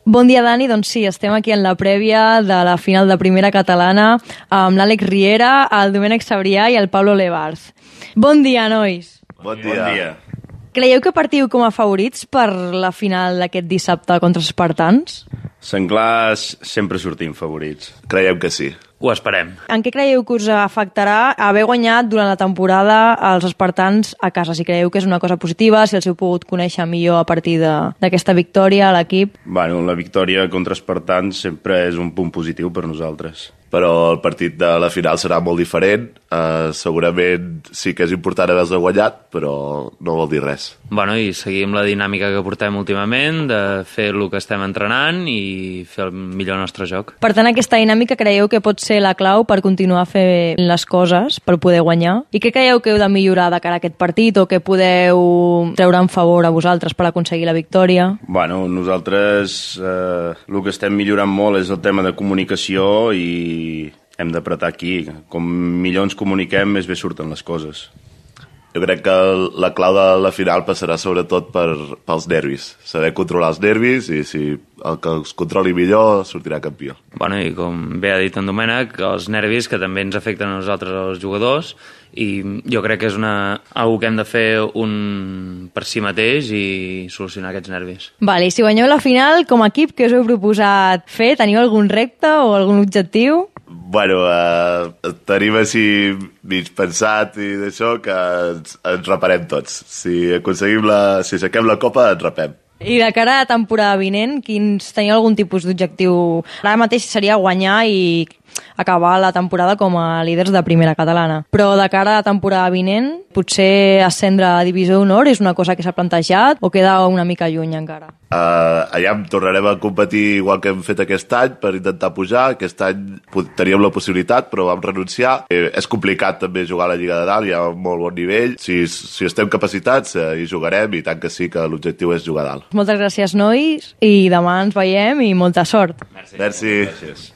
Bon dia, Dani. Doncs sí, estem aquí en la prèvia de la final de primera catalana amb l'Àlex Riera, el Domènec Sabrià i el Pablo Levarz. Bon dia, nois. Bon dia. Creieu que partiu com a favorits per la final d'aquest dissabte contra els espartans? Senglars sempre sortim favorits. Creiem que sí. Ho esperem. En què creieu que us afectarà haver guanyat durant la temporada els espartans a casa? Si creieu que és una cosa positiva, si els heu pogut conèixer millor a partir d'aquesta victòria a l'equip? Bueno, la victòria contra espartans sempre és un punt positiu per nosaltres. Però el partit de la final serà molt diferent. Segurament sí que és important haver-se guanyat, però no vol dir res. Bueno, i seguim la dinàmica que portem últimament, de fer el que estem entrenant i fer el millor nostre joc. Per tant, aquesta dinàmica creieu que pot ser la clau per continuar fent les coses, per poder guanyar? I què creieu que heu de millorar de cara a aquest partit o que podeu treure en favor a vosaltres per aconseguir la victòria? Bueno, nosaltres el que estem millorant molt és el tema de comunicació i hem d'apretar aquí. Com millor ens comuniquem, més bé surten les coses. Jo crec que la clau de la final passarà sobretot pels nervis. Saber controlar els nervis i si el que els controli millor sortirà campió. Bueno, i com bé ha dit en Domènec, els nervis que també ens afecten a nosaltres, els jugadors, i jo crec que és algo que hem de fer per si mateix i solucionar aquests nervis. Vale, i si guanyeu la final, com a equip, què us heu proposat fer? Teniu algun repte o algun objectiu? Bueno, tenim així mig pensat i d'això que ens reparem tots. Si aixequem la copa, ens repem. I de cara a la temporada vinent, teniu algun tipus d'objectiu? Ara mateix seria guanyar i acabar la temporada com a líders de primera catalana. Però de cara a la temporada vinent, potser ascendre a Divisió d'Honor és una cosa que s'ha plantejat o queda una mica lluny encara? Allà tornarem a competir igual que hem fet aquest any per intentar pujar. Aquest any teníem la possibilitat, però vam renunciar. És complicat també jugar a la Lliga de Dalt, hi ha un molt bon nivell. Si estem capacitats, hi jugarem i tant que sí que l'objectiu és jugar a dalt. Moltes gràcies, nois, i demà ens veiem i molta sort. Merci.